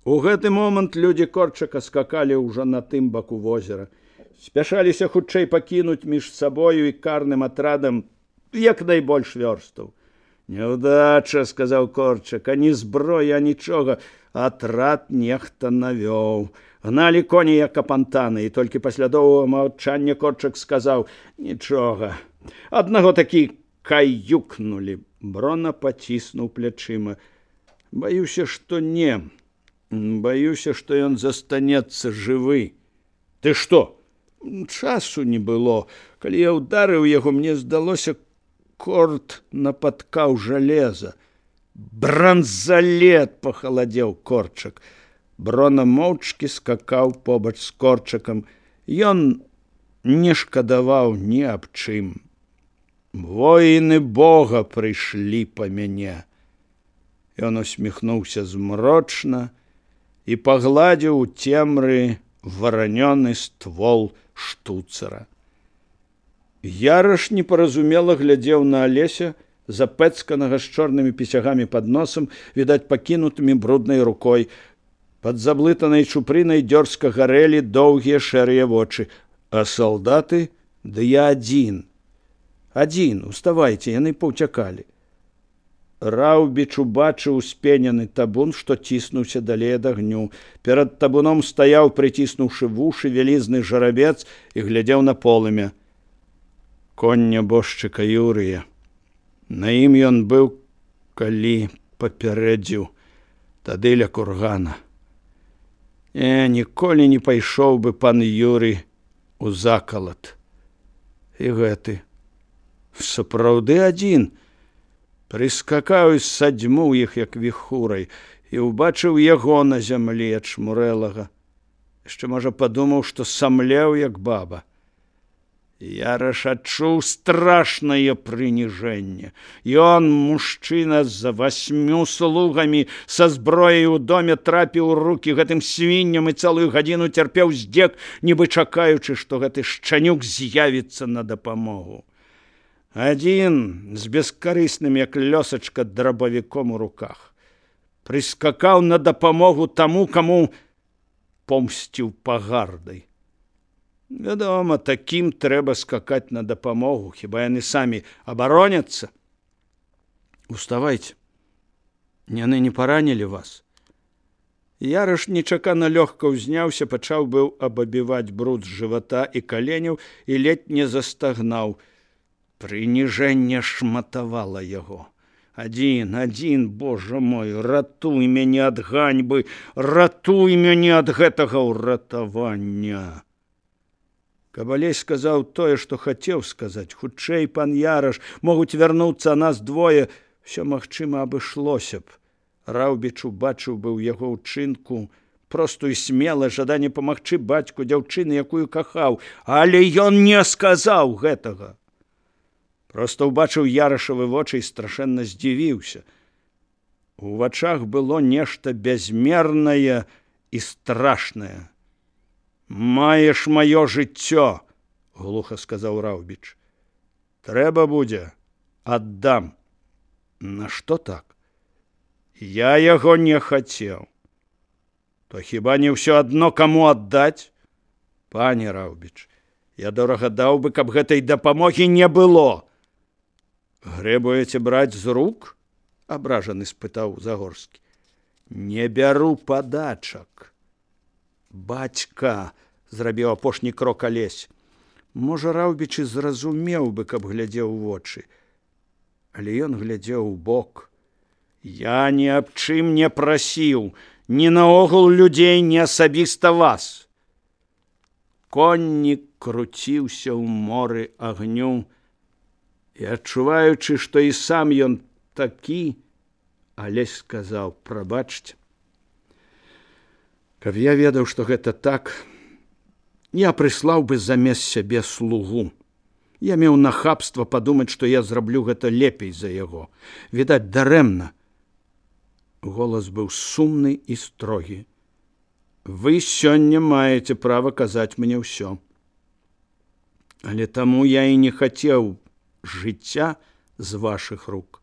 У гэты момант людзі Корчака скакалі ўжо на тым баку возера. Спяшаліся хутчэй пакінуць між сабою і карным атрадам як найбольш вёрстаў. «Няўдача», — сказаў Корчак, — «ані зброя, нічога. Атрад нехта навёў. Гналі коні, як апантаны, і толькі пасля доўгага маўчання Корчак сказаў: «Нічога. Аднаго такі каюкнулі». Брона паціснуў плячыма. «Баюся, што не. Баюся, што ён застанецца жывы». «Ты што?» «Часу не было. Калі я ўдарыў яго, мне здалося, корт напаткаў жалеза». «Бранзалет!» — пахаладзеў Корчак. Брона моўчкі скакаў побач з Корчакам. Ён не шкадаваў ні аб чым. «Воіны Бога прыйшлі па мяне». Ён усміхнуўся змрочна і пагладзіў у цемры варанёны ствол штуцара. Яраш непаразумела глядзеў на Алеся, запэцканага з чорнымі пісягамі пад носам, відаць, пакінутымі бруднай рукой. Пад заблытанай чупрынай дзёрзка гарэлі доўгія шэрыя вочы. «А салдаты? Ды я адзін». «Адзін, уставайце, яны паўцякалі». Раўбіч убачыў успенены табун, штоціснуўся далей ад агню. Перад табуном стаяў, прыціснуўшы вушы, вялізны жарабец і глядзеў на полымя. Конь нябожчыка Юрыя. На ім ён быў, калі папярэдзіў, тады ля кургана. Ніколі не пайшоў бы пан Юрый у закалат. І гэты сапраўды адзін. Прыскакаў і садзьмуў іх, як віхурай, і ўбачыў яго на зямлі ачмурэлага. Яшчэ, можа, падумаў, што самлеў, як баба. Яраш адчуў страшнае прыніжэнне. Ён, мужчына з 8 слугамі, са зброяй у доме, трапіў у рукі гэтым свінням і цэлую гадзіну цярпеў здзек, нібы чакаючы, што гэты шчанюк з'явіцца на дапамогу. Адзін з бескарысным, як лёсачка, драбавіком у руках. Прыскакаў на дапамогу таму, каму помсціў пагардай. Вядома, такім трэба скакаць на дапамогу, хіба яны самі абароняцца. «Уставайце. Яны не паранілі вас». Яраш нечакана лёгка ўзняўся, пачаў быў абабіваць бруд з жывата і каленяў і ледзь не застагнаў. Прыніжэнне шматавала яго. Адзін, Божа мой, ратуй мяне ад ганьбы, ратуй мяне ад гэтага ўратавання. Каб Алесь сказаў тое, што хацеў сказаць, хутчэй, пан Яраш, могуць вярнуцца нас двое, все магчыма абышлося б. Раўбіч убачыў бы ў яго ўчынку простую смела жаданне памагчы бацьку дзяўчыны, якую кахаў, але ён не сказаў гэтага. Проста ўбачыў Ярашавы вочы і страшэнна здзівіўся. У вачах было нешта бязмернае і страшнае. «Маеш маё жыццё», — глуха сказаў Раўбіч. «Трэба будзе, аддам». «На што так?» «Я яго не хацеў». «То хіба не ўсё адно, каму аддаць?» «Пане Раўбіч, я дорага даў бы, каб гэтай дапамогі не было». «Грэбуеце браць з рук?» — абражаны спытаў Загорскі. «Не бяру падачак». «Бацька», — зрабіў апошні крок Алесь. Можа, Раўбіч і зразумеў бы, каб глядзеў у вочы. Але ён глядзеў у бок. «Я ні аб чым не прасіў, ні наогул людзей, ні асабіста вас». Коннік круціўся ў моры агню, і, адчуваючы, што і сам ён такі, Алесь сказаў: «Прабачце. Каб я ведаў, што гэта так, я прыслаў бы замест сябе слугу. Я меў нахабства падумаць, што я зраблю гэта лепей за яго. Відаць, дарэмна». Голас быў сумны і строгі. «Вы сёння маеце права казаць мне ўсё. Але таму я і не хацеў жыцця з вашых рук.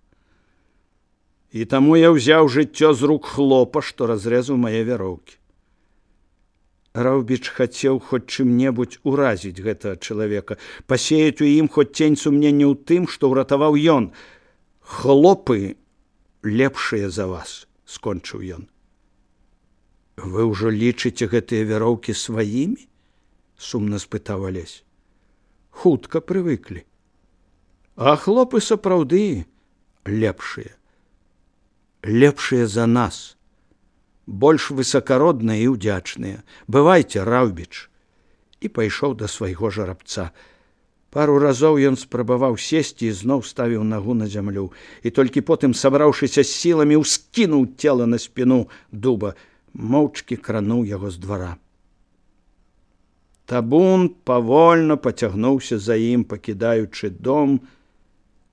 І таму я ўзяў жыццё з рук хлопа, што разрэзаў мае вяроўкі. Раўбіч хацеў хоць чым-небудзь уразіць гэтага чалавека, пасеяць у ім хоць цень сумнення ў тым, што ўратаваў ён. Хлопы лепшыя за вас, скончыў ён. Вы ўжо лічыце гэтыя вяроўкі сваімі? Сумна спытаў Алесь. Хутка прывыклі. А хлопы сапраўды лепшыя. Лепшыя за нас, больш высакародныя і ўдзячныя. Бывайце, Раўбіч. І пайшоў да свайго жарабца. Пару разоў ён спрабаваў сесці і зноў ставіў нагу на зямлю. І толькі потым, сабраўшыся з сіламі, ускінуў цела на спіну дуба, моўчкі крануў яго з двара. Табун павольна пацягнуўся за ім, пакідаючы дом,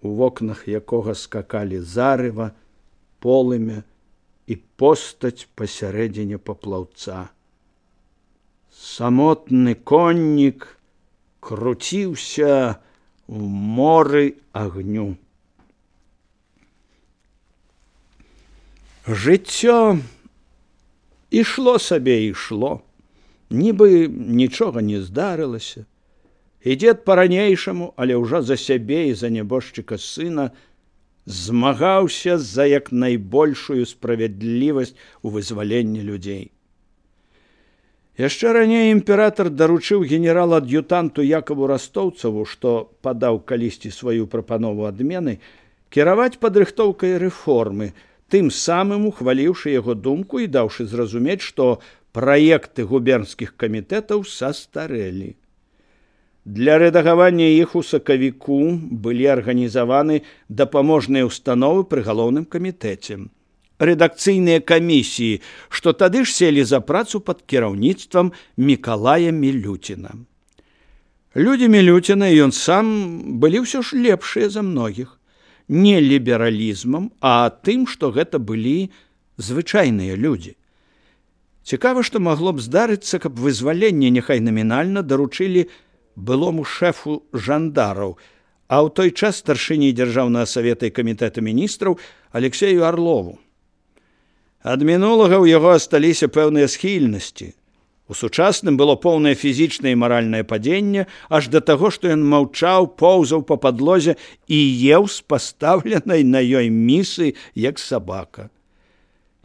у вокнах якога скакалі зарыва, полымя і постаць пасярэдзіне паплаўца. Самотны коннік круціўся ў моры агню. Жыццё ішло сабе, ішло, нібы нічога не здарылася. І дзед па-ранейшаму, але ўжо за сябе і за нябожчыка сына, змагаўся за як найбольшую справядлівасць у вызваленні людзей. Яшчэ раней імператар даручыў генерал-ад'ютанту Якаву Растоўцаву, што падаў калісьці сваю прапанову адмены, кіраваць падрыхтоўкай рэформы, тым самым ухваліўшы яго думку і даўшы зразумець, што праекты губернскіх камітэтаў састарэлі. Для рэдагавання іх у сакавіку былі арганізаваны дапаможныя ўстановы пры галоўным камітэце. Рэдакцыйныя камісіі, што тады ж селі за працу пад кіраўніцтвам Мікалая Мілюціна. Людзі Мілюціна і ён сам былі ўсё ж лепшыя за многіх. Не лібералізмам, а тым, што гэта былі звычайныя людзі. Цікава, што магло б здарыцца, каб вызваленне няхай намінальна даручылі былому шэфу жандараў, а ў той час старшыні дзяржаўнага савета і камітэта міністраў Алексею Арлову. Ад мінулага ў яго асталіся пэўныя схільнасці. У сучасным было поўнае фізічнае і маральнае падзенне, аж да таго, што ён маўчаў, поўзаў па падлозе і еў з пастаўленай на ёй місы, як сабака.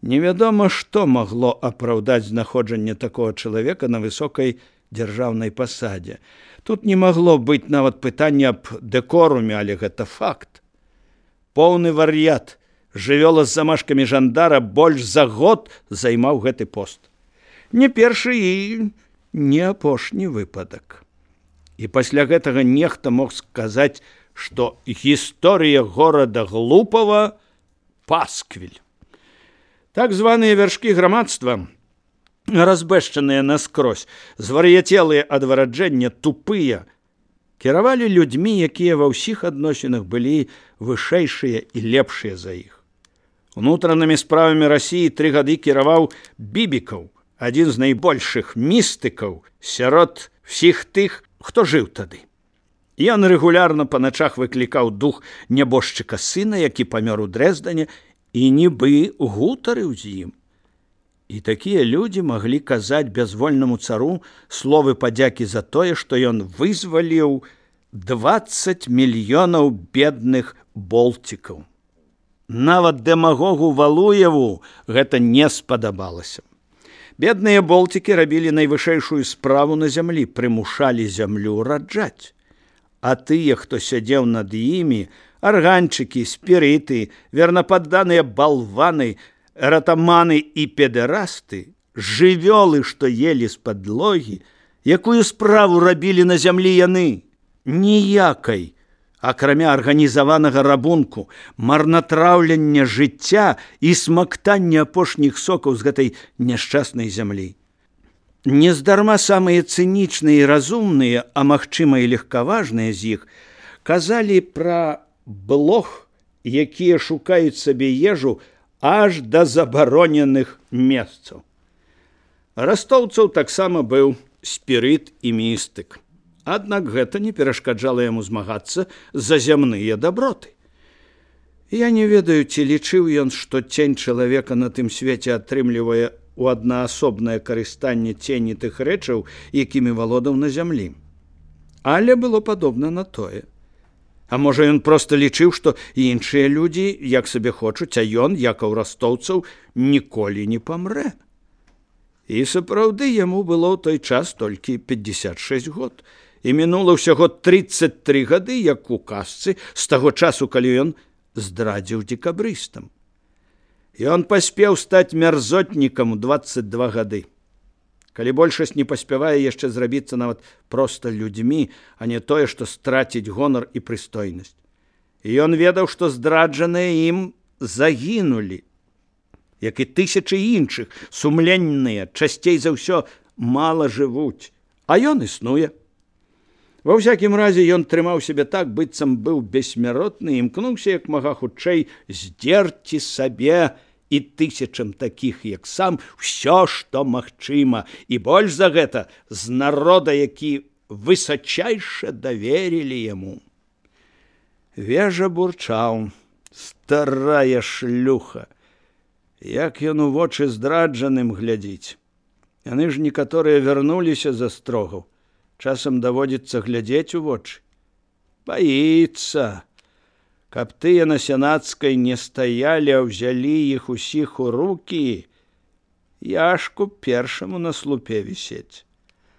Невядома, што магло апраўдаць знаходжанне такога чалавека на высокай дзяржаўнай пасадзе. Тут не магло быць нават пытання аб дэкоруме, але гэта факт. Поўны вар'ят, жывёла з замашкамі жандара больш за год займаў гэты пост. Не першы і не апошні выпадак. І пасля гэтага нехта мог сказаць, што гісторыя горада Глупава пасквіль. Так званыя вяршкі грамадства, разбэшчаныя наскрозь, звар'яцелыя ад вараджэння, тупыя, кіравалі людзьмі, якія ва ўсіх адносінах былі вышэйшыя і лепшыя за іх. Унутранымі справамі Расіі 3 гады кіраваў Бібікаў, адзін з найбольшых містыкаў сярод всіх тых, хто жыў тады. Ён рэгулярна па начах выклікаў дух нябожчыка сына, які памёр у Дрэздане, і нібы гутарыў з ім. І такія людзі маглі казаць бязвольнаму цару словы падзякі за тое, што ён вызваліў 20 мільёнаў бедных болцікаў. Нават дэмагогу Валуеву гэта не спадабалася. Бедныя болцікі рабілі найвышэйшую справу на зямлі, прымушалі зямлю раджаць. А тыя, хто сядзеў над імі, арганчыкі, спірыты, вернападданыя балваны, ратаманы і педэрасты, жывёлы, што елі з падлогі, якую справу рабілі на зямлі яны? Ніякай, акрамя арганізаванага рабунку, марнатраўлення жыцця і смактання апошніх сокаў з гэтай няшчаснай зямлі. Нездарма самыя цынічныя і разумныя, а магчыма і легкаважныя з іх, казалі пра блох, якія шукаюць сабе ежу аж да забароненых месцаў. Растоўцаў таксама быў спірыт і містык. Аднак гэта не перашкаджала яму змагацца за зямныя даброты. Я не ведаю, ці лічыў ён, што цень чалавека на тым свеце атрымлівае у аднаасобнае карыстанне цені тых рэчаў, якімі валодаў на зямлі. Але было падобна на тое. А можа, ён проста лічыў, што іншыя людзі як сабе хочуць, а ён, як у растоўцаў, ніколі не памрэ. І сапраўды яму было ў той час толькі 56 год. І мінула ўсяго 33 гады, як у казцы, з таго часу, калі ён здрадзіў дзекабрыстам. Ён паспеў стаць мярзотнікам у 22 гады. Калі большасць не паспявае яшчэ зрабіцца нават проста людзьмі, а не тое, што страціць гонар і прыстойнасць. І ён ведаў, што здраджаныя ім загінулі, як і тысячы іншых, сумленныя, часцей за ўсё мала жывуць, а ён існуе. Ва ўсякім разе ён трымаў сябе так, быццам быў бессмяротны, і імкнуўся як мага хутчэй здзерці сабе і тысячам такіх, як сам, усё, што магчыма, і больш за гэта з народа, які высачайша даверілі яму. Вежа бурчаў: старая шлюха. Як ён у вочы здраджаным глядзіць. Яны ж некаторыя вярнуліся з астрогаў. Часам даводзіцца глядзець у вочы. Баіцца, каб тыя на сенацкай не стаялі, а ўзялі іх усіх у рукі, Яшку першаму на слупе вісець.